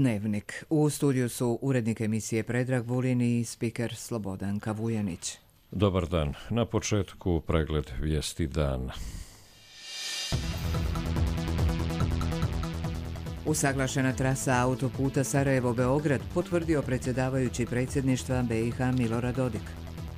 Dnevnik. U studiju su urednik emisije Predrag Vulin i spiker Slobodanka Vujanić. Dobar dan. Na početku pregled vijesti dana. Usaglašena trasa autoputa Sarajevo-Beograd potvrdio predsjedavajući predsjedništva BiH Milorad Dodik.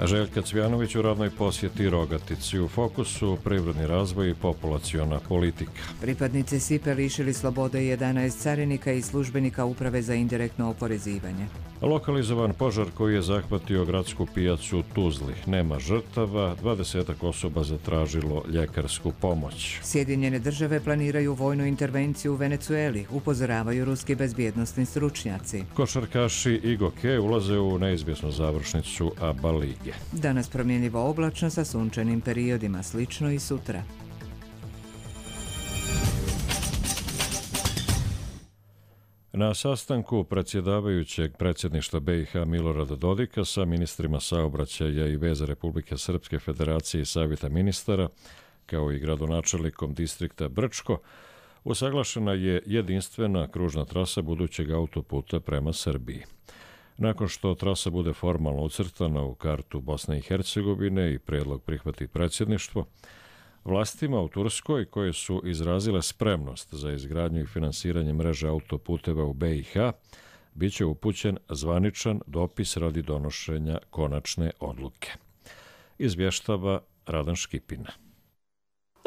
Željka Cvjanović u radnoj posjeti Rogatici. U fokusu privredni razvoj i populaciona politika. Pripadnici SIPA lišili slobode 11 carinika i službenika Uprave za indirektno oporezivanje. Lokalizovan požar koji je zahvatio gradsku pijacu u Tuzli. Nema žrtava, 20 osoba zatražilo ljekarsku pomoć. Sjedinjene države planiraju vojnu intervenciju u Venecueli, upozoravaju ruski bezbjednosni stručnjaci. Košarkaši i Goke ulaze u neizvjesnu završnicu ABA lige. Danas promjenjivo oblačno sa sunčanim periodima, slično i sutra. Na sastanku predsjedavajućeg predsjedništva BiH Milorada Dodika sa ministrima saobraćaja i veza Republike Srpske Federacije i Savjeta ministara, kao i gradonačelnikom distrikta Brčko, usaglašena je jedinstvena kružna trasa budućeg autoputa prema Srbiji. Nakon što trasa bude formalno ucrtana u kartu Bosne i Hercegovine i prijedlog prihvati predsjedništvo, vlastima u Turskoj, koje su izrazile spremnost za izgradnju i finansiranje mreže autoputeva u BiH, bit će upućen zvaničan dopis radi donošenja konačne odluke. Izvještava Radan Škipina.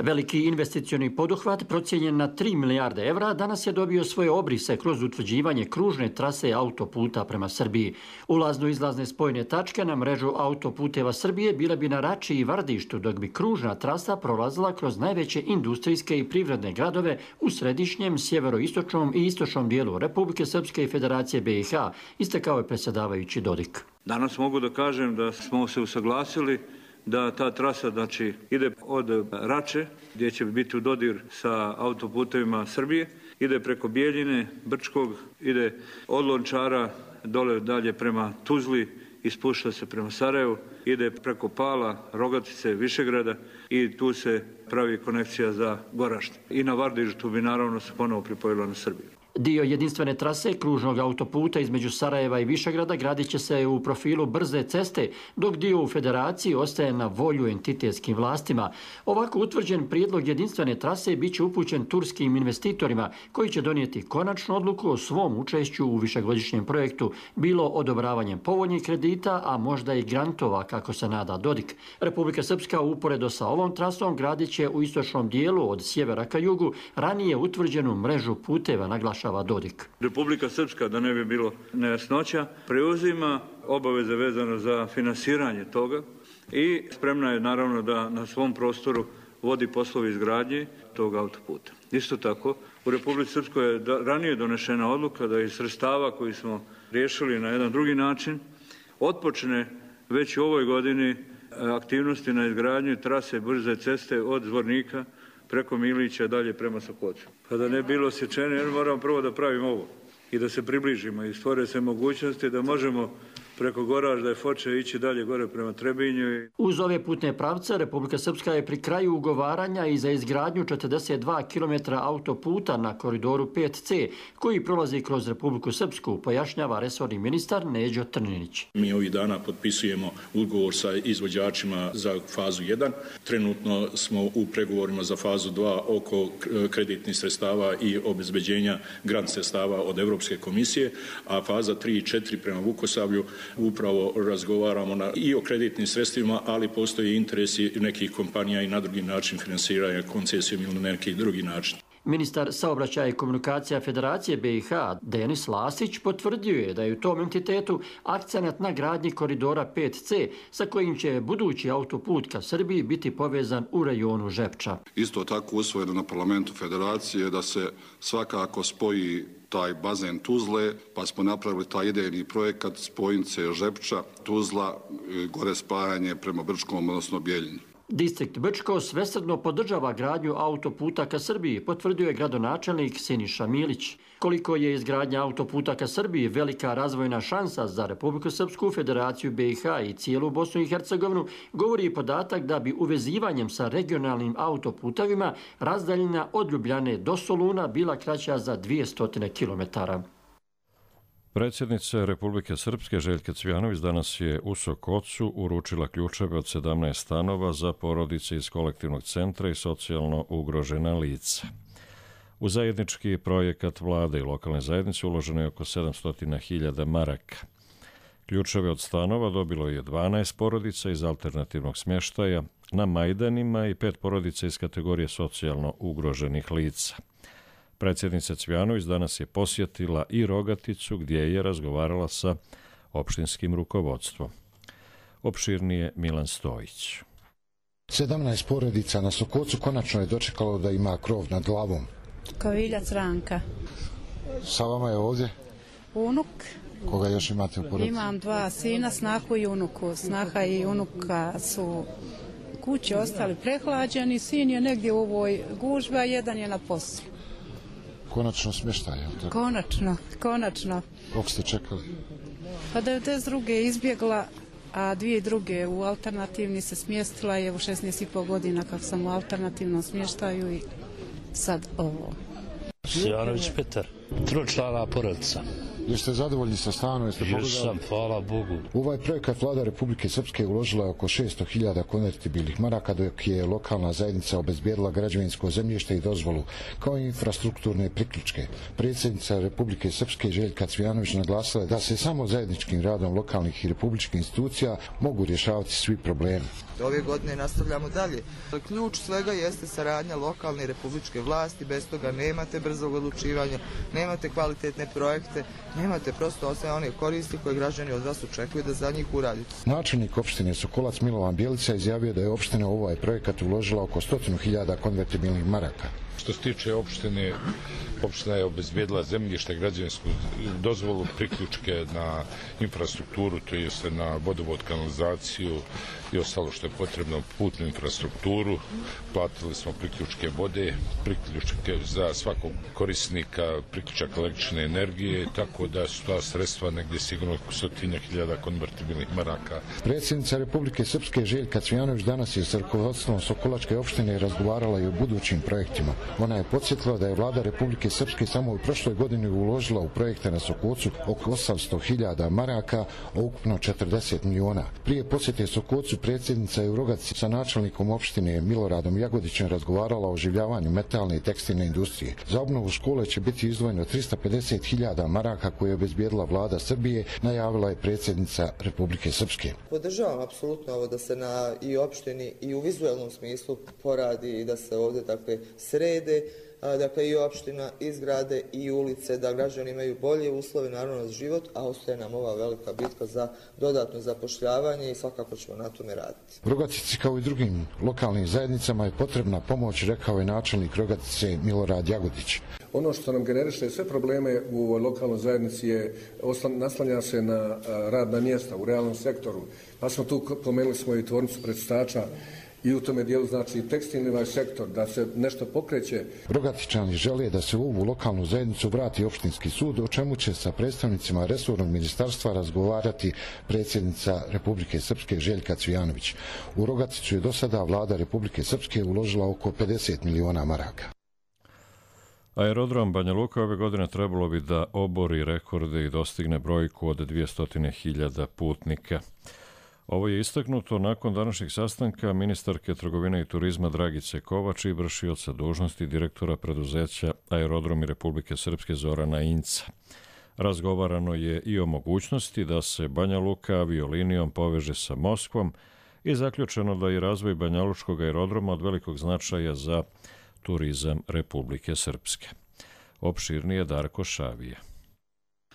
Veliki investicioni poduhvat procijenjen na 3 milijarde evra danas je dobio svoje obrise kroz utvrđivanje kružne trase autoputa prema Srbiji. Ulazno-izlazne spojne tačke na mrežu autoputeva Srbije bile bi na Rači i Vardištu, dok bi kružna trasa prolazila kroz najveće industrijske i privredne gradove u središnjem, sjeveroistočnom i istočnom dijelu Republike Srpske i Federacije BiH, istakao je predsjedavajući Dodik. Danas mogu da kažem da smo se usaglasili da ta trasa ide od Rače, gdje će biti u dodir sa autoputevima Srbije, ide preko Bijeljine, Brčkog, ide od Lončara dole dalje prema Tuzli i spušta se prema Sarajevu, ide preko Pala, Rogatice, Višegrada i tu se pravi konekcija za Goražde. I na Vardištu bi naravno se ponovo pripojila na Srbiju. Dio jedinstvene trase kružnog autoputa između Sarajeva i Višegrada gradit će se u profilu brze ceste, dok dio u Federaciji ostaje na volju entitetskim vlastima. Ovako utvrđen prijedlog jedinstvene trase bit će upućen turskim investitorima koji će donijeti konačnu odluku o svom učešću u višegodišnjem projektu, bilo odobravanjem povoljnih kredita, a možda i grantova, kako se nada Dodik. Republika Srpska uporedo sa ovom trasom gradit će u istočnom dijelu od sjevera ka jugu ranije utvrđenu mrežu puteva, naglašava Dodik. Republika Srpska, da ne bi bilo nejasnoća, preuzima obaveze vezano za finansiranje toga i spremna je naravno da na svom prostoru vodi poslovi izgradnje tog autoputa. Isto tako, u Republici Srpskoj je ranije donešena odluka da iz sredstava koji smo riješili na jedan drugi način otpočne već u ovoj godini aktivnosti na izgradnju trase brze ceste od Zvornika preko Milića dalje prema Sokocu. Kada ne bilo sjećene, moramo prvo da pravimo ovo i da se približimo i stvore se mogućnosti da možemo preko Goražda i Foče ići dalje gore prema Trebinju. Uz ove putne pravce, Republika Srpska je pri kraju ugovaranja i za izgradnju 42 km autoputa na koridoru 5C, koji prolazi kroz Republiku Srpsku, pojašnjava resorni ministar Neđo Trninić. Mi ovih dana potpisujemo ugovor sa izvođačima za fazu 1. Trenutno smo u pregovorima za fazu 2 oko kreditnih sredstava i obezbeđenja grant sredstava od Europske komisije, a faza 3 i 4 prema Vukosavlju upravo razgovaramo i o kreditnim sredstvima, ali postoji interesi nekih kompanija i na drugi način finansiranja koncesijom ili na neki drugi način. Ministar saobraćaja i komunikacija Federacije BiH Denis Lasić potvrdio je da je u tom entitetu akcenat na gradnji koridora 5C, sa kojim će budući autoput ka Srbiji biti povezan u rajonu Žepča. Isto tako usvojeno na parlamentu Federacije da se svakako spoji taj bazen Tuzle, pa smo napravili taj idejni projekat spojnice Žepča, Tuzla, gore spajanje prema Brčkom, odnosno Bijeljini. Distrikt Brčko svesrdno podržava gradnju autoputa ka Srbiji, potvrdio je gradonačelnik Siniša Milić. Koliko je izgradnja autoputa ka Srbiji velika razvojna šansa za Republiku Srpsku, Federaciju BiH i cijelu Bosnu i Hercegovinu, govori i podatak da bi uvezivanjem sa regionalnim autoputevima razdaljina od Ljubljane do Soluna bila kraća za 200 km. Predsjednica Republike Srpske Željka Cvijanović danas je u Sokocu uručila ključeve od 17 stanova za porodice iz kolektivnog centra i socijalno ugrožena lica. U zajednički projekat vlade i lokalne zajednice uloženo je oko 700.000 maraka. Ključeve od stanova dobilo je 12 porodica iz alternativnog smještaja na Majdanima i 5 porodica iz kategorije socijalno ugroženih lica. Predsjednica Cvijanović danas je posjetila i Rogaticu gdje je razgovarala sa opštinskim rukovodstvom. Opširnije Milan Stojić. 17 porodica na Sokocu konačno je dočekalo da ima krov nad glavom. Koviljac Ranka. Sa vama je ovdje? Unuk. Koga još imate u porodici? Imam 2 sina, snahu i unuku. Snaha i unuka su kući ostali prehlađeni, sin je negdje u ovoj gužbi, a jedan je na poslu. Konačno smještaj, je li tako? Konačno. Koliko ste čekali? Pa 92. je izbjegla, a 2 druge u alternativni se smjestila je u 16,5 godina kako sam u alternativnom smještaju i sad ovo. Sjanović Petar, 3-člana porodica. Jeste zadovoljni sa stanom? Jesam, hvala Bogu. U ovaj projekat vlada Republike Srpske uložila je oko 600.000 konvertibilnih maraka, dok je lokalna zajednica obezbijedila građevinsko zemljište i dozvolu, kao i infrastrukturne priključke. Predsjednica Republike Srpske Željka Cvijanović naglasila je da se samo zajedničkim radom lokalnih i republičkih institucija mogu rješavati svi problemi. Ove godine nastavljamo dalje. Ključ svega jeste saradnja lokalne i republičke vlasti, bez toga nemate brzog odlučivanja, nemate kvalitetne projekte, nemate prosto sve one koristi koje građani od vas očekuju da za njih uradite. Načelnik opštine Sokolac Milovan Bjelica izjavio da je opština u ovaj projekat uložila oko 100.000 konvertibilnih maraka. Što se tiče opštine, opština je obezbijedila zemljište, građevinsku dozvolu, priključke na infrastrukturu, to jest na vodovod, kanalizaciju i ostalo što je potrebno, putnu infrastrukturu. Platili smo priključke vode, priključke za svakog korisnika, priključak električne energije, tako da su ta sredstva negdje sigurno oko 100.000 konvertibilnih maraka. Predsjednica Republike Srpske Željka Cvijanović danas je s rukovodstvom Sokolačke opštine razgovarala i o budućim projektima. Ona je podsjetila da je vlada Republike Srpske samo u prošloj godini uložila u projekte na Sokocu oko 800.000 maraka, a ukupno 40 miliona. Prije posjete Sokocu predsjednica je u Rogatici sa načelnikom opštine Miloradom Jagodićem razgovarala o oživljavanju metalne i tekstilne industrije. Za obnovu škole će biti izdvojeno 350.000 maraka koje je obezbijedila vlada Srbije, najavila je predsjednica Republike Srpske. Podržavam apsolutno ovo da se na i opštini i u vizualnom smislu poradi i da se ovdje srede, dakle i opština, i zgrade, i ulice, da građani imaju bolje uslove, naravno za život, a ostaje nam ova velika bitka za dodatno zapošljavanje i svakako ćemo na tome raditi. Rogatici kao i drugim lokalnim zajednicama je potrebna pomoć, rekao je načelnik Rogatice Milorad Jagodić. Ono što nam generiše sve probleme u lokalnoj zajednici je naslanja se na radna mjesta u realnom sektoru, pa smo tu pomenuli smo i tvornicu precistača, i u tome dijelu znači tekstilni sektor, da se nešto pokreće. Rogatičani žele da se u ovu lokalnu zajednicu vrati opštinski sud, o čemu će sa predstavnicima resornog ministarstva razgovarati predsjednica Republike Srpske Željka Cvijanović. U Rogaticu je do sada vlada Republike Srpske uložila oko 50 miliona maraka. Aerodrom Banja Luka ove godine trebalo bi da obori rekorde i dostigne brojku od 200.000 putnika. Ovo je istaknuto nakon današnjeg sastanka ministarke trgovine i turizma Dragice Kovač i vršioca dužnosti direktora preduzeća Aerodromi Republike Srpske Zorana Inca. Razgovarano je i o mogućnosti da se Banja Luka aviolinijom poveže sa Moskvom i zaključeno da je razvoj banjalučkog aerodroma od velikog značaja za turizam Republike Srpske. Opširnije Darko Šavije.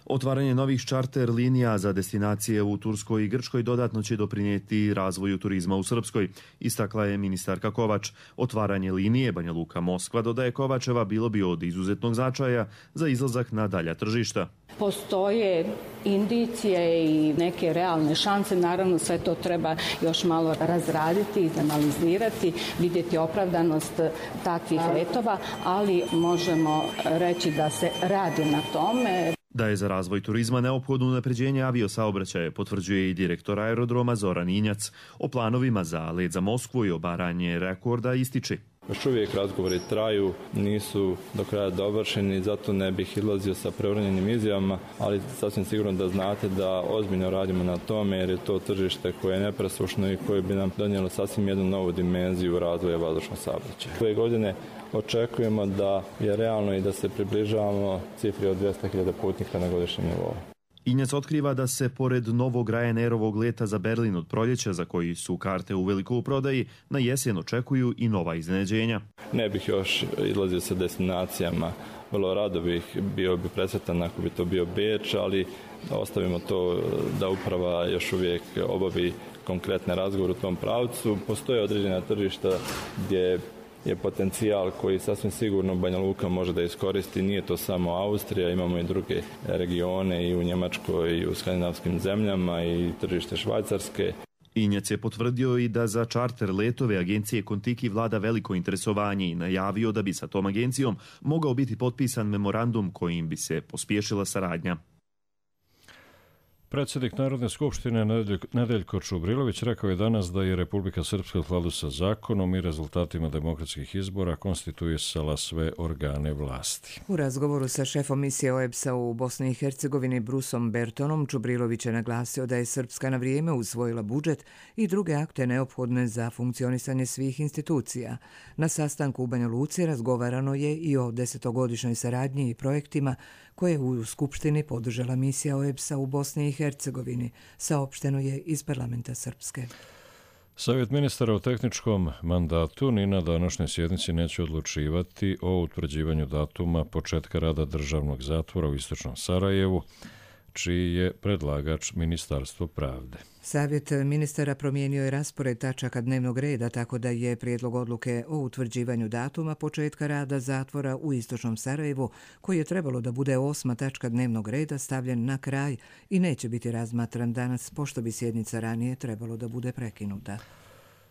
Otvaranje novih čarter linija za destinacije u Turskoj i Grčkoj dodatno će doprinijeti razvoju turizma u Srpskoj, istakla je ministarka Kovač. Otvaranje linije Banja Luka Moskva, dodaje Kovačeva, bilo bi od izuzetnog značaja za izlazak na dalja tržišta. Postoje indicije i neke realne šanse, naravno sve to treba još malo razraditi, analizirati, vidjeti opravdanost takvih letova, ali možemo reći da se radi na tome. Da je za razvoj turizma neophodno unapređenje aviosaobraćaja, potvrđuje i direktor aerodroma Zoran Injac. O planovima za let za Moskvu i obaranje rekorda ističe. Još uvijek razgovori traju, nisu do kraja dovršeni, zato ne bih izlazio sa preuranjenim izjavama, ali sasvim sigurno da znate da ozbiljno radimo na tome, jer je to tržište koje je nepresušno i koje bi nam donijelo sasvim jednu novu dimenziju razvoja vazdušnog saobraćaja. Ove godine očekujemo da je realno i da se približavamo cifri od 200.000 putnika na godišnjem nivou. Injac otkriva da se pored novog Ryanairovog leta za Berlin od proljeća, za koji su karte uveliko u prodaji, na jesen očekuju i nova iznenađenja. Ne bih još izlazio sa destinacijama. Vrlo rado bio bi presretan ako bi to bio Beč, ali ostavimo to da uprava još uvijek obavi konkretne razgovore u tom pravcu. Postoje određena tržišta gdje je potencijal koji sasvim sigurno Banja Luka može da iskoristi. Nije to samo Austrija, imamo i druge regione i u Njemačkoj i u skandinavskim zemljama i tržište Švajcarske. Injac je potvrdio i da za čarter letove agencije Kontiki vlada veliko interesovanje i najavio da bi sa tom agencijom mogao biti potpisan memorandum kojim bi se pospješila saradnja. Predsjednik Narodne skupštine Nedeljko Čubrilović rekao je danas da je Republika Srpska u skladu sa zakonom i rezultatima demokratskih izbora konstituisala sve organe vlasti. U razgovoru sa šefom misije OEBS-a u Bosni i Hercegovini Brusom Bertonom Čubrilović je naglasio da je Srpska na vrijeme usvojila budžet i druge akte neophodne za funkcionisanje svih institucija. Na sastanku u Banja Luci razgovarano je i o 10-godišnjoj saradnji i projektima koje u Skupštini podržala misija OEBS-a u Bosni i Hercegovini, saopšteno je iz parlamenta Srpske. Savjet ministara u tehničkom mandatu ni na današnjoj sjednici neće odlučivati o utvrđivanju datuma početka rada državnog zatvora u istočnom Sarajevu, čiji je predlagač Ministarstvo pravde. Savjet ministara promijenio je raspored tačaka dnevnog reda, tako da je prijedlog odluke o utvrđivanju datuma početka rada zatvora u istočnom Sarajevu, koji je trebalo da bude 8. tačka dnevnog reda, stavljen na kraj i neće biti razmatran danas, pošto bi sjednica ranije trebalo da bude prekinuta.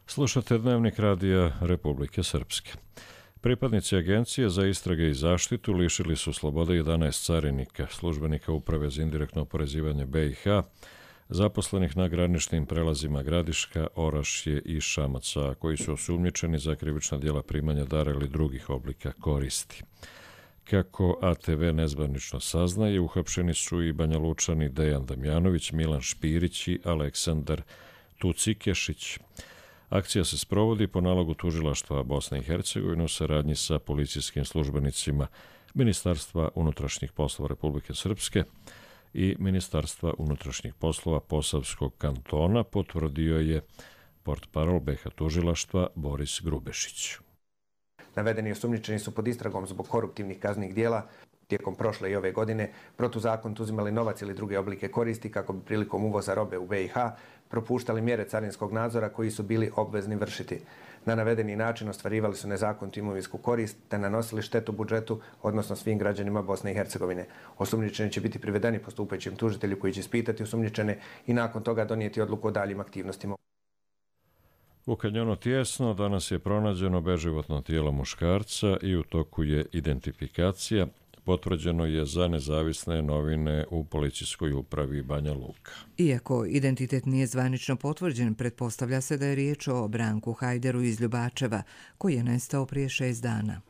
Slušate Dnevnik radija Republike Srpske. Pripadnici Agencije za istrage i zaštitu lišili su slobode 11 carinika, službenika Uprave za indirektno oporezivanje BiH, zaposlenih na graničnim prelazima Gradiška, Orašje i Šamaca, koji su osumnjičeni za krivična djela primanja dara ili drugih oblika koristi. Kako ATV nezvanično saznaje, uhapšeni su i Banja Lučani Dejan Damjanović, Milan Špirić i Aleksandar Tucikešić. Akcija se sprovodi po nalogu tužilaštva Bosne i Hercegovine u saradnji sa policijskim službenicima Ministarstva unutrašnjih poslova Republike Srpske i Ministarstva unutrašnjih poslova Posavskog kantona, potvrdio je portparol BiH tužilaštva Boris Grubešić. Navedeni osumnjičeni su pod istragom zbog koruptivnih kaznenih djela. Tijekom prošle i ove godine protuzakonito uzimali novac ili druge oblike koristi kako bi prilikom uvoza robe u BiH propuštali mjere carinskog nadzora koji su bili obvezni vršiti. Na navedeni način ostvarivali su nezakonitu imovinsku korist te nanosili štetu budžetu, odnosno svim građanima Bosne i Hercegovine. Osumnjičeni će biti privedeni postupajućem tužitelju koji će ispitati osumnjičene i nakon toga donijeti odluku o daljim aktivnostima. U kanjonu Tijesno danas je pronađeno beživotno tijelo muškarca i u toku je identifikacija. Potvrđeno je za nezavisne novine u policijskoj upravi Banja Luka. Iako identitet nije zvanično potvrđen, pretpostavlja se da je riječ o Branku Hajderu iz Ljubačeva, koji je nestao prije 6 dana.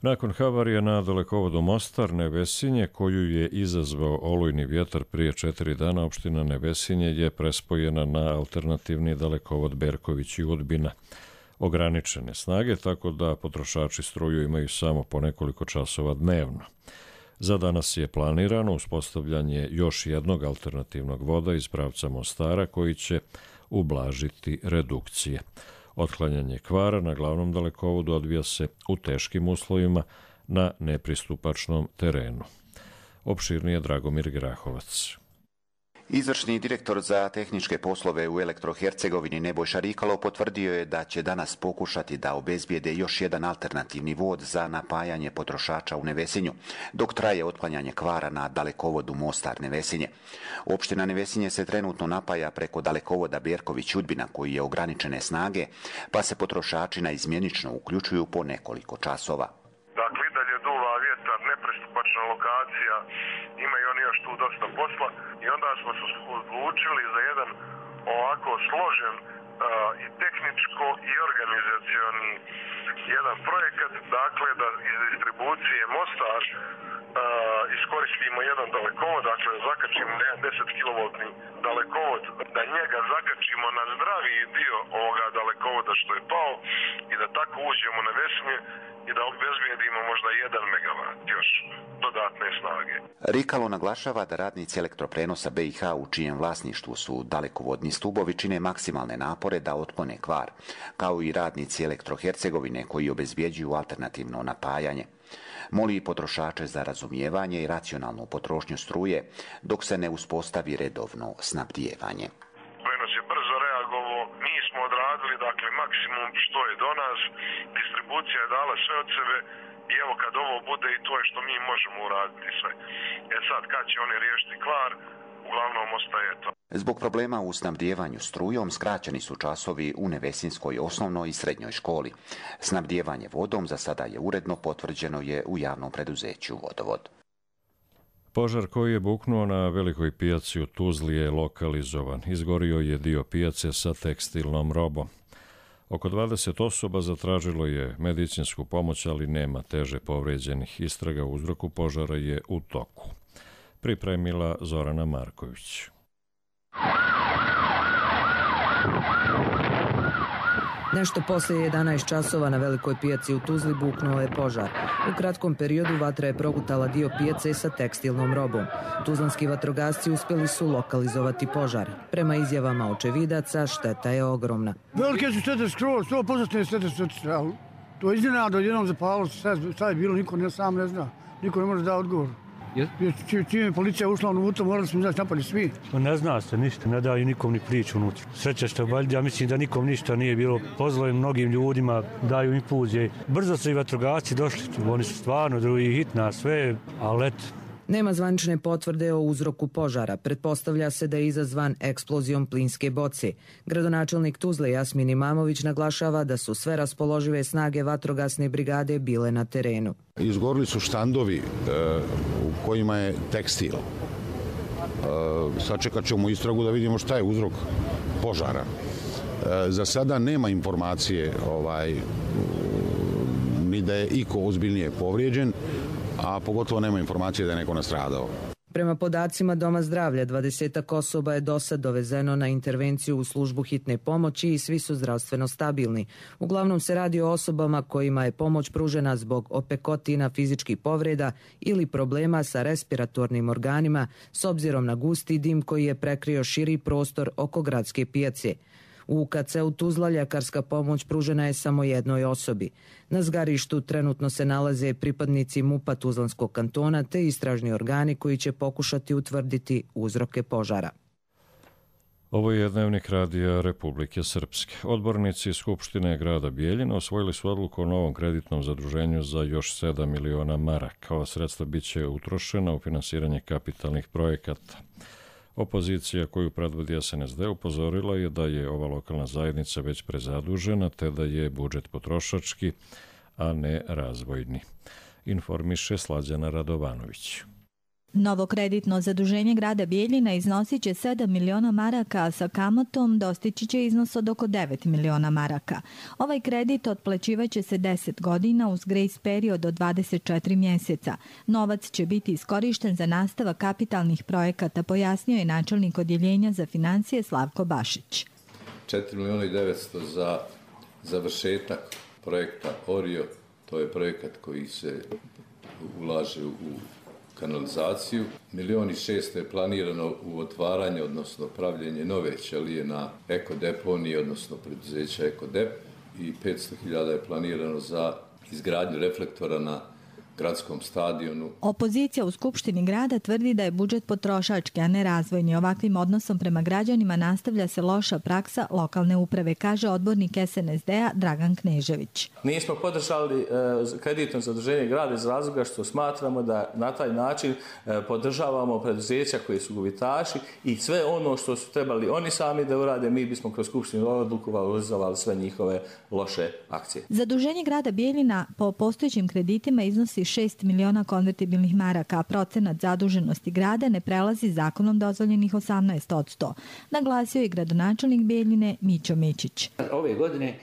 Nakon havarije na dalekovodu Mostar Nevesinje, koju je izazvao olujni vjetar prije 4 dana, opština Nevesinje je prespojena na alternativni dalekovod Berković i Udbina. Ograničene snage, tako da potrošači struju imaju samo po nekoliko časova dnevno. Za danas je planirano uspostavljanje još jednog alternativnog voda iz pravca Mostara koji će ublažiti redukcije. Otklanjanje kvara na glavnom dalekovodu odvija se u teškim uslovima na nepristupačnom terenu. Opširnije Dragomir Grahovac. Izvršni direktor za tehničke poslove u Elektrohercegovini Nebojša Rikalo potvrdio je da će danas pokušati da obezbijede još jedan alternativni vod za napajanje potrošača u Nevesinju, dok traje otklanjanje kvara na dalekovodu Mostar-Nevesinje. Opština Nevesinje se trenutno napaja preko dalekovoda Berković-Udbina koji je ograničene snage, pa se potrošači naizmjenično uključuju po nekoliko časova. Dakle, i dalje duva vjetar, nepristupačna lokacija, imaju oni još tu dosta posla i onda smo se odlučili za jedan ovako složen i tehničko i organizacioni jedan projekat, dakle da iz distribucije Mostar iskoristimo jedan dalekovod, dakle zakačimo na jedan 10 kV dalekovod, da njega zakačimo na zdraviji dio ovoga dalekovoda što je pao i da tako uđemo na Vesnje i da obezbijedimo možda 1 megavat još dodatne snage. Rikalo naglašava da radnici elektroprenosa BiH u čijem vlasništvu su dalekovodni stubovi čine maksimalne napore da otklone kvar, kao i radnici Elektrohercegovine koji obezbjeđuju alternativno napajanje. Moli potrošače za razumijevanje i racionalnu potrošnju struje dok se ne uspostavi redovno snabdijevanje. Prenos je brzo reagovao, mi smo odradili dakle maksimum što je do nas, distribucija je dala sve od sebe i evo kad ovo bude i to je što mi možemo uraditi sve. Sad kad će oni riješiti kvar, uglavnom ostaje to. Zbog problema u snabdijevanju strujom skraćeni su časovi u Nevesinskoj osnovnoj i srednjoj školi. Snabdijevanje vodom za sada je uredno, potvrđeno je u javnom preduzeću Vodovod. Požar koji je buknuo na velikoj pijaci u Tuzli je lokalizovan. Izgorio je dio pijace sa tekstilnom robom. Oko 20 osoba zatražilo je medicinsku pomoć, ali nema teže povrijeđenih. Istraga o uzroku požara je u toku. Pripremila Zorana Marković. Nešto poslije 11 časova na velikoj pijaci u Tuzli buknuo je požar. U kratkom periodu vatra je progutala dio pijace sa tekstilnom robom. Tuzlanski vatrogasci uspjeli su lokalizovati požar. Prema izjavama očevidaca, šteta je ogromna. Velike su štete skroz, 100% štete, ali to je iznenada, jednom zapalo, šta je bilo, niko sam ne zna, niko ne može da odgovor. Čim je policija ušla unutra, morali smo izaći napali svi. Ne zna se ništa, ne daju nikom ni priču unutra. Sreća što valjda, ja mislim da nikom ništa nije bilo. Pozvali mnogim ljudima, daju infuzije. Brzo su i vatrogasci došli, oni su stvarno drugi hitna, sve, ali eto. Nema zvanične potvrde o uzroku požara. Pretpostavlja se da je izazvan eksplozijom plinske boce. Gradonačelnik Tuzle Jasmin Imamović naglašava da su sve raspoložive snage vatrogasne brigade bile na terenu. Izgorili su štandovi u kojima je tekstil. Sačekat ćemo istragu da vidimo šta je uzrok požara. Za sada nema informacije ni da je iko ozbiljnije povrijeđen, a pogotovo nema informacije da je neko nastradao. Prema podacima Doma zdravlja, 20 osoba je dosad dovezeno na intervenciju u službu hitne pomoći i svi su zdravstveno stabilni. Uglavnom se radi o osobama kojima je pomoć pružena zbog opekotina, fizičkih povreda ili problema sa respiratornim organima s obzirom na gusti dim koji je prekrio širi prostor oko gradske pijace. U UKC-u Tuzla ljekarska pomoć pružena je samo jednoj osobi. Na zgarištu trenutno se nalaze pripadnici MUP-a Tuzlanskog kantona te istražni organi koji će pokušati utvrditi uzroke požara. Ovo je Dnevnik radija Republike Srpske. Odbornici Skupštine grada Bijeljina osvojili su odluku o novom kreditnom zaduženju za još 7 miliona maraka. Ova sredstva biće utrošena u finansiranje kapitalnih projekata. Opozicija koju predvodi SNSD upozorila je da je ova lokalna zajednica već prezadužena te da je budžet potrošački, a ne razvojni. Informiše Slađana Radovanović. Novo kreditno zaduženje grada Bijeljina iznosit će 7 miliona maraka, a sa kamatom dostići će iznos od oko 9 miliona maraka. Ovaj kredit otplaćivaće se 10 godina uz grace period od 24 mjeseca. Novac će biti iskorišten za nastavak kapitalnih projekata, pojasnio je načelnik odjeljenja za financije Slavko Bašić. 4 miliona i 900 za završetak projekta Orio, to je projekat koji se ulaže u kanalizaciju. 1.600.000 je planirano u otvaranje, odnosno pravljenje nove ćelije na ekodeponiji, odnosno preduzeća Ekodep, i 500.000 je planirano za izgradnju reflektora na gradskom stadionu. Opozicija u Skupštini grada tvrdi da je budžet potrošački, a ne razvojni. Ovakvim odnosom prema građanima nastavlja se loša praksa lokalne uprave, kaže odbornik SNSD-a Dragan Knežević. Nismo podržali kreditno zaduženje grada iz razloga što smatramo da na taj način podržavamo preduzeća koji su gubitaši i sve ono što su trebali oni sami da urade, mi bismo kroz Skupštinu odluku valorizovali sve njihove loše akcije. Zaduženje grada Bijeljina po postojećim kreditima iznosi 6 miliona konvertibilnih maraka, a procenat zaduženosti grada ne prelazi zakonom dozvoljenih 18%, naglasio je gradonačelnik Bijeljine Mićo Mićić. Ove godine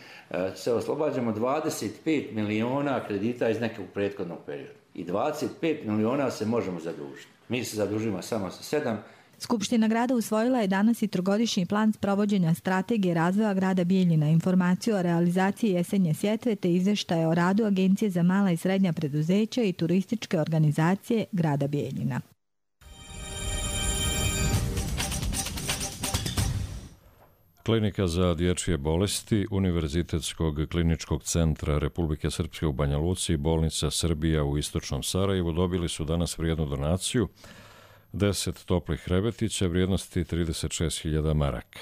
se oslobađamo 25 miliona kredita iz nekog prethodnog perioda i 25 miliona se možemo zadužiti. Mi se zadužimo samo sa 7. Skupština grada usvojila je danas i trogodišnji plan sprovođenja strategije razvoja grada Bijeljina, informaciju o realizaciji jesenje sjetve te izveštaje o radu Agencije za mala i srednja preduzeća i turističke organizacije grada Bijeljina. Klinika za dječje bolesti Univerzitetskog kliničkog centra Republike Srpske u Banja Luci i bolnica Srbija u istočnom Sarajevu dobili su danas vrijednu donaciju 10 toplih krevetića vrijednosti 36.000 maraka.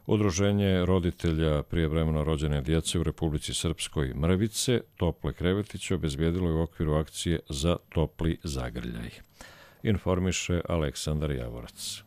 Udruženje roditelja prijevremeno rođene djece u Republici Srpskoj Mrvice tople krevetiće obezbijedilo je u okviru akcije za topli zagrljaj. Informiše Aleksandar Javorac.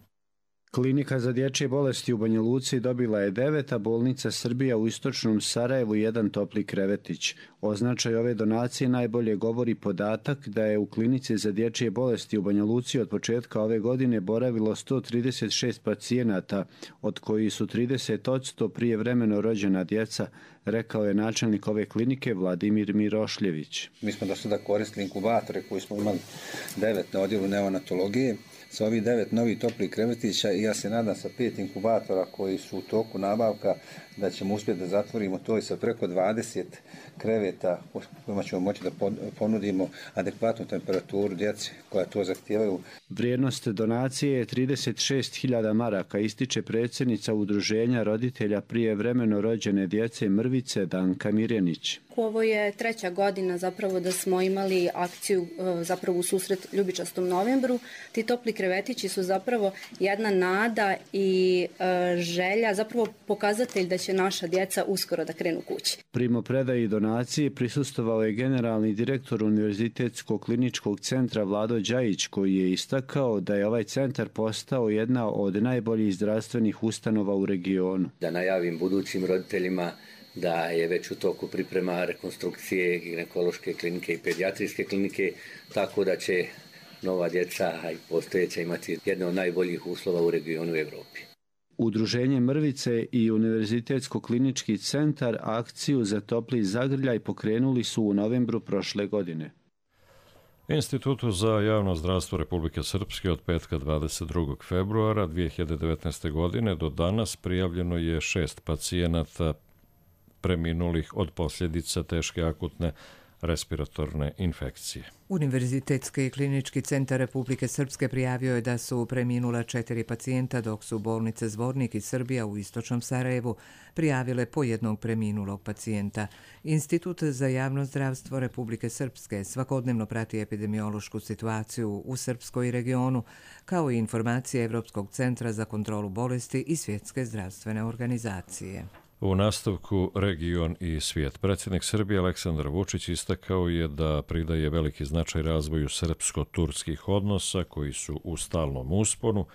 Klinika za dječje bolesti u Banja Luci dobila je 9, a bolnica Srbija u istočnom Sarajevu 1 topli krevetić. O značaju ove donacije najbolje govori podatak da je u klinici za dječje bolesti u Banja Luci od početka ove godine boravilo 136 pacijenata, od koji su 30% prijevremeno rođena djeca, rekao je načelnik ove klinike Vladimir Mirošljević. Mi smo do sada koristili inkubatore koji smo imali 9 na odjelu neonatologije. Sa ovih 9 novih toplih krevetića i ja se nadam sa 5 inkubatora koji su u toku nabavka da ćemo uspjeti da zatvorimo to i sa preko 20 kreveta kojima ćemo moći da ponudimo adekvatnu temperaturu djece koja to zahtijevaju. Vrijednost donacije je 36.000 maraka, ističe predsjednica Udruženja roditelja prijevremeno rođene djece Mrvice Danka Mirjanić. Ovo je 3. godina zapravo da smo imali akciju zapravo u susret Ljubičastom novembru. Ti topli krevetići su zapravo jedna nada i želja, zapravo pokazatelj da će naša djeca uskoro da krenu kući. Primopredaji donacije prisustvovao je generalni direktor Univerzitetskog kliničkog centra Vlado Đajić, koji je istakao da je ovaj centar postao jedna od najboljih zdravstvenih ustanova u regionu. Da najavim budućim roditeljima da je već u toku priprema rekonstrukcije ginekološke klinike i pedijatrijske klinike, tako da će nova djeca i postojeća imati jedne od najboljih uslova u regionu i Evropi. Udruženje Mrvice i Univerzitetsko klinički centar akciju za topli zagrljaj pokrenuli su u novembru prošle godine. Institutu za javno zdravstvo Republike Srpske od petka 22. februara 2019. godine do danas prijavljeno je 6 pacijenata preminulih od posljedica teške akutne respiratorne infekcije. Univerzitetski klinički centar Republike Srpske prijavio je da su preminula 4 pacijenta, dok su bolnice Zvornik i Srbija u istočnom Sarajevu prijavile po jednog preminulog pacijenta. Institut za javno zdravstvo Republike Srpske svakodnevno prati epidemiološku situaciju u Srpskoj regionu, kao i informacije Evropskog centra za kontrolu bolesti i Svjetske zdravstvene organizacije. U nastavku region i svijet. Predsjednik Srbije Aleksandar Vučić istakao je da pridaje veliki značaj razvoju srpsko-turskih odnosa koji su u stalnom usponu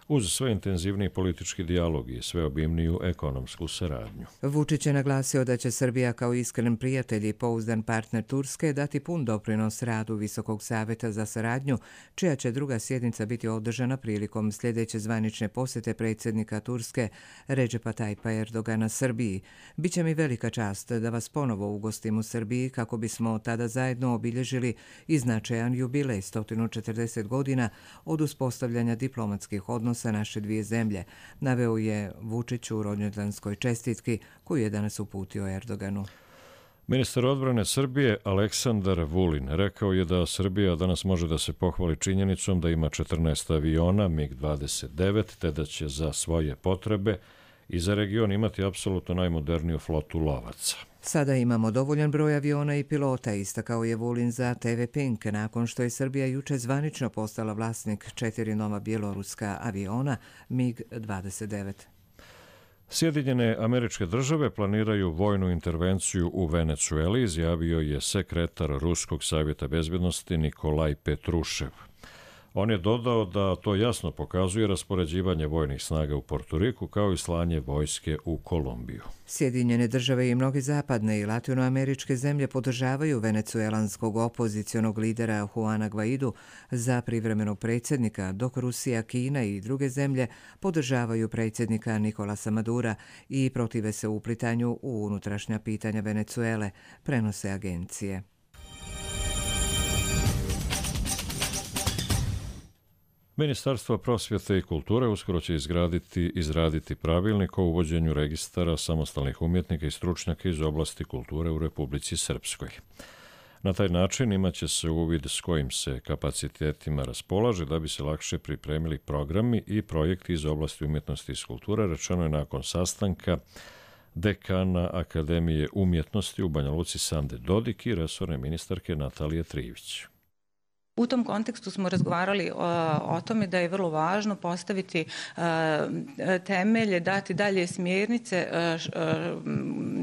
uz sve intenzivniji politički dijalog i sve obimniju ekonomsku saradnju. Vučić je naglasio da će Srbija kao iskren prijatelj i pouzdan partner Turske dati pun doprinos radu Visokog savjeta za saradnju, čija će druga sjednica biti održana prilikom sljedeće zvanične posjete predsjednika Turske Redžepa Tajpa Erdogana Srbiji. Biće mi velika čast da vas ponovo ugostim u Srbiji kako bismo tada zajedno obilježili i značajan jubilej 140 godina od uspostavljanja diplomatskih odnosa naše dvije zemlje, naveo je Vučić u rođendanskoj čestitki koju je danas uputio Erdoganu. Ministar odbrane Srbije Aleksandar Vulin rekao je da Srbija danas može da se pohvali činjenicom da ima 14 aviona MiG-29, te da će za svoje potrebe i za region imati apsolutno najmoderniju flotu lovaca. Sada imamo dovoljan broj aviona i pilota, istakao je Vulin za TV Pink, nakon što je Srbija juče zvanično postala vlasnik 4 nova bjeloruska aviona MiG-29. Sjedinjene Američke Države planiraju vojnu intervenciju u Venecueli, izjavio je sekretar Ruskog savjeta bezbjednosti Nikolaj Petrušev. On je dodao da to jasno pokazuje raspoređivanje vojnih snaga u Portoriku kao i slanje vojske u Kolumbiju. Sjedinjene države i mnoge zapadne i latinoameričke zemlje podržavaju venecuelanskog opozicionog lidera Juana Guaidu za privremenog predsjednika, dok Rusija, Kina i druge zemlje podržavaju predsjednika Nicolasa Madura i protive se uplitanju u unutrašnja pitanja Venecuele, prenose agencije. Ministarstvo prosvjete i kulture uskoro će izraditi pravilnik o uvođenju registara samostalnih umjetnika i stručnjaka iz oblasti kulture u Republici Srpskoj. Na taj način imaće se uvid s kojim se kapacitetima raspolaže da bi se lakše pripremili programi i projekti iz oblasti umjetnosti i kulture, rečeno je nakon sastanka dekana Akademije umjetnosti u Banja Luci Sande Dodik i resorne ministarke Natalije Trivić. U tom kontekstu smo razgovarali o tome da je vrlo važno postaviti temelje, dati dalje smjernice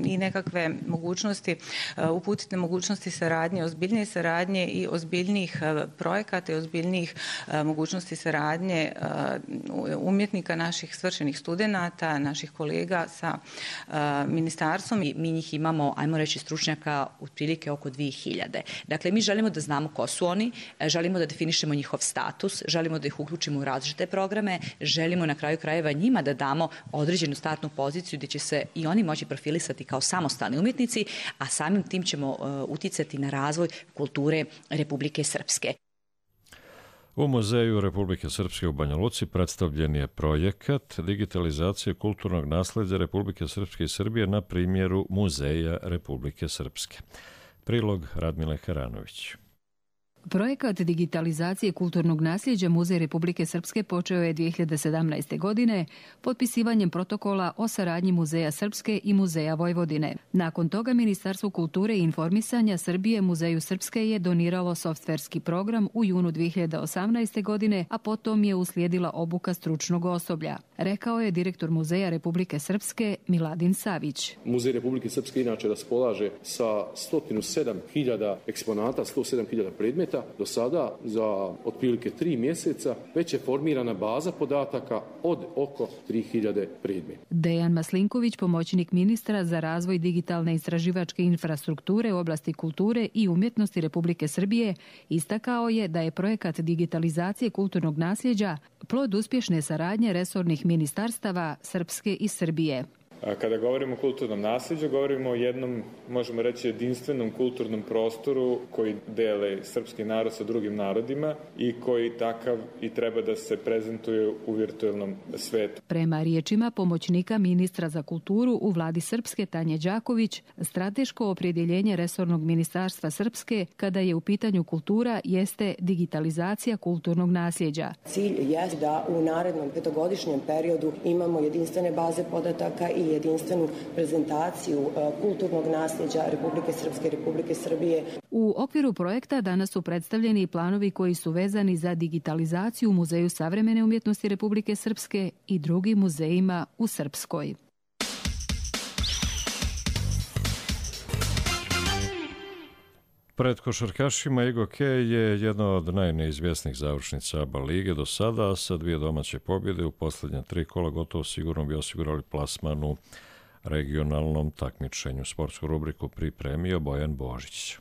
i nekakve mogućnosti, uputiti mogućnosti saradnje, ozbiljnije saradnje i ozbiljnijih projekata i ozbiljnijih mogućnosti saradnje umjetnika, naših svršenih studenata, naših kolega sa ministarstvom. Mi njih imamo, ajmo reći, stručnjaka otprilike oko 2000. Dakle, mi želimo da znamo ko su oni, želimo da definišemo njihov status, želimo da ih uključimo u različite programe, želimo na kraju krajeva njima da damo određenu startnu poziciju gdje će se i oni moći profilisati kao samostalni umjetnici, a samim tim ćemo uticati na razvoj kulture Republike Srpske. U Muzeju Republike Srpske u Banja Luci predstavljen je projekat digitalizacije kulturnog nasleđa Republike Srpske i Srbije na primjeru Muzeja Republike Srpske. Prilog Radmile Karanović. Projekat digitalizacije kulturnog nasljeđa Muzej Republike Srpske počeo je 2017. godine potpisivanjem protokola o saradnji Muzeja Srpske i Muzeja Vojvodine. Nakon toga Ministarstvo kulture i informisanja Srbije Muzeju Srpske je doniralo softverski program u junu 2018. godine, a potom je uslijedila obuka stručnog osoblja. Rekao je direktor Muzeja Republike Srpske Miladin Savić. Muzej Republike Srpske inače raspolaže sa 107.000 eksponata, 107.000 predmeta. Do sada, za otprilike 3 mjeseca, već je formirana baza podataka od oko 3.000 predmeta. Dejan Maslinković, pomoćnik ministra za razvoj digitalne istraživačke infrastrukture u oblasti kulture i umjetnosti Republike Srbije, istakao je da je projekat digitalizacije kulturnog nasljeđa plod uspješne saradnje resornih ministarstava Srpske i Srbije. Kada govorimo o kulturnom nasljeđu, govorimo o jednom, možemo reći, jedinstvenom kulturnom prostoru koji dele srpski narod sa drugim narodima i koji takav i treba da se prezentuje u virtualnom svetu. Prema riječima pomoćnika ministra za kulturu u vladi Srpske Tanje Đaković, strateško opredjeljenje resornog ministarstva Srpske kada je u pitanju kultura jeste digitalizacija kulturnog nasljeđa. Cilj je da u narednom petogodišnjem periodu imamo jedinstvene baze podataka i jedinstvenu prezentaciju kulturnog nasljeđa Republike Srpske i Republike Srbije. U okviru projekta danas su predstavljeni planovi koji su vezani za digitalizaciju u Muzeju savremene umjetnosti Republike Srpske i drugim muzejima u Srpskoj. Pred košarkašima Igo Kej je jedna od najneizvjesnijih završnica ABA lige do sada, a sa 2 domaće pobjede u posljednja 3 kola gotovo sigurno bi osigurali plasman u regionalnom takmičenju. Sportsku rubriku pripremio Bojan Božić.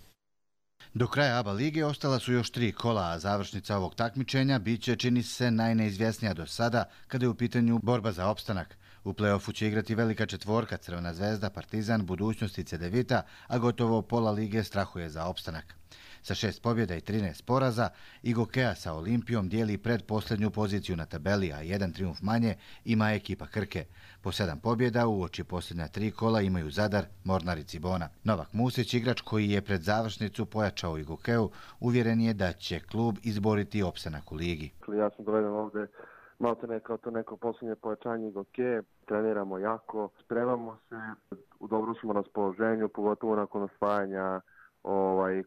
Do kraja ABA lige ostala su još 3 kola, a završnica ovog takmičenja biće, čini se, najneizvjesnija do sada kada je u pitanju borba za opstanak. U play-offu će igrati velika četvorka Crvena zvezda, Partizan, Budućnost i Cedevita, a gotovo pola lige strahuje za opstanak. Sa 6 pobjeda i 13 poraza, Igo Keja sa Olimpijom dijeli predposljednju poziciju na tabeli, a 1 trijumf manje ima ekipa Krke. Po 7 pobjeda uoči posljednja 3 kola imaju Zadar, Mornar i Cibona. Novak Musić, igrač koji je pred završnicu pojačao Igo Keju, uvjeren je da će klub izboriti opstanak u ligi. Ja sam doveden ovdje maltene kao to neko posljednje pojačanje Igo Keje. Treniramo jako, spremamo se, u dobru smo raspoloženju, pogotovo nakon osvajanja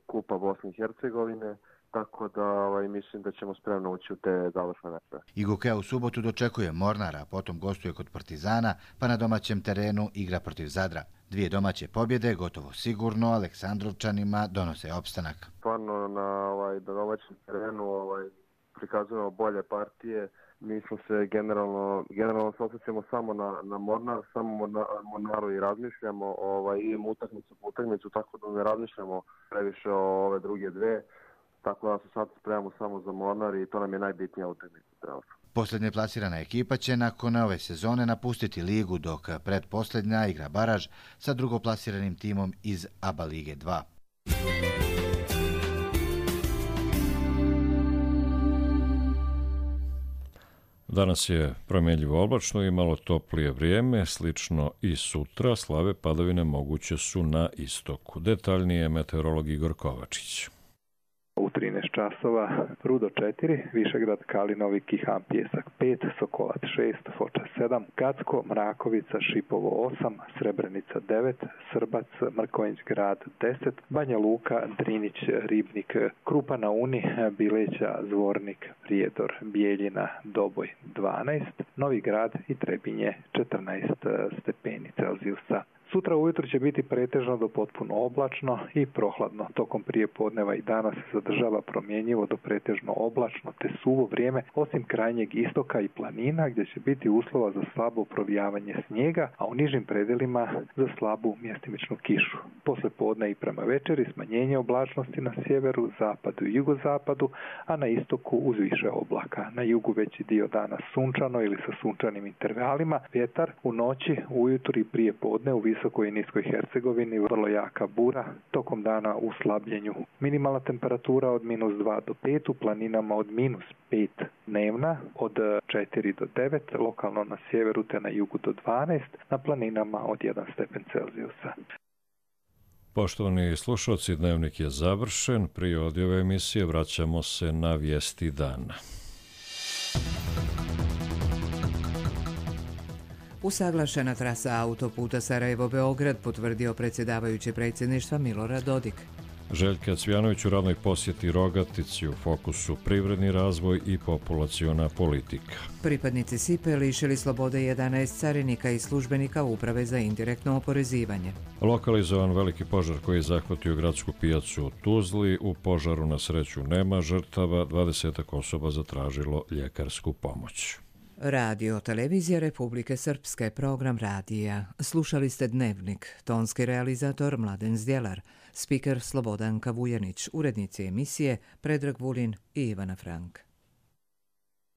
Kupa Bosne i Hercegovine, tako da mislim da ćemo spremno ući u te završne mečeve. Igo Keja u subotu dočekuje Mornara, a potom gostuje kod Partizana, pa na domaćem terenu igra protiv Zadra. 2 domaće pobjede, gotovo sigurno, Aleksandrovčanima donose opstanak. Stvarno na domaćem terenu prikazujemo bolje partije. Mi smo se generalno se osjećamo samo na Mornar, samo Mornaru i razmišljamo, idemo utakmicu po utakmicu, tako da ne razmišljamo previše o ove druge dve, tako da se sad spremamo samo za Mornar i to nam je najbitnija utakmica. Posljednje plasirana ekipa će nakon ove sezone napustiti ligu, dok pretposljednja igra baraž sa drugoplasiranim timom iz ABA Lige 2. Danas je promjenljivo oblačno i malo toplije vrijeme, slično i sutra. Slave padavine moguće su na istoku. Detaljnije meteorolog Igor Kovačić. U 13 časova Rudo 4, Višegrad, Kalinovi, Kihan, Pjesak 5, Sokolac 6, Foča 7, Gacko, Mrakovica, Šipovo 8, Srebrenica 9, Srbac, Mrkonjić grad 10, Banja Luka, Drinić, Ribnik, Krupa na Uni, Bileća, Zvornik, Prijedor, Bijeljina, Doboj 12, Novi Grad i Trebinje 14 stepeni Celzijusa. Sutra ujutro će biti pretežno do potpuno oblačno i prohladno. Tokom prijepodneva i dana se zadržava promjenjivo do pretežno oblačno te suvo vrijeme, osim krajnjeg istoka i planina gdje će biti uslova za slabo provijavanje snijega, a u nižim predelima za slabu mjestimičnu kišu. Posle podne i prema večeri smanjenje oblačnosti na sjeveru, zapadu i jugozapadu, a na istoku uz više oblaka. Na jugu veći dio dana sunčano ili sa sunčanim intervalima, vjetar u noći, ujutro i prije podne u visokoj i niskoj Hercegovini vrlo jaka bura, tokom dana u slabljenju. Minimalna temperatura od -2 do 5, u planinama od -5 dnevna, od 4 do 9, lokalno na sjeveru te na jugu do 12, na planinama od 1 stepen Celzijusa. Poštovani slušalci, dnevnik je završen. Prije odjave emisije vraćamo se na vijesti dana. Usaglašena trasa autoputa Sarajevo-Beograd potvrdio predsjedavajući predsjedništva Milorad Dodik. Željka Cvjanović u radnoj posjeti Rogatici, u fokusu privredni razvoj i populaciona politika. Pripadnici SIPE lišili slobode 11 carinika i službenika Uprave za indirektno oporezivanje. Lokalizovan veliki požar koji je zahvatio gradsku pijacu u Tuzli. U požaru na sreću nema žrtava, 20 osoba zatražilo ljekarsku pomoć. Radio Televizija Republike Srpske, program radija. Slušali ste Dnevnik, tonski realizator Mladen Zdjelar, spiker Slobodanka Vujanić, urednici emisije Predrag Vulin i Ivana Frank.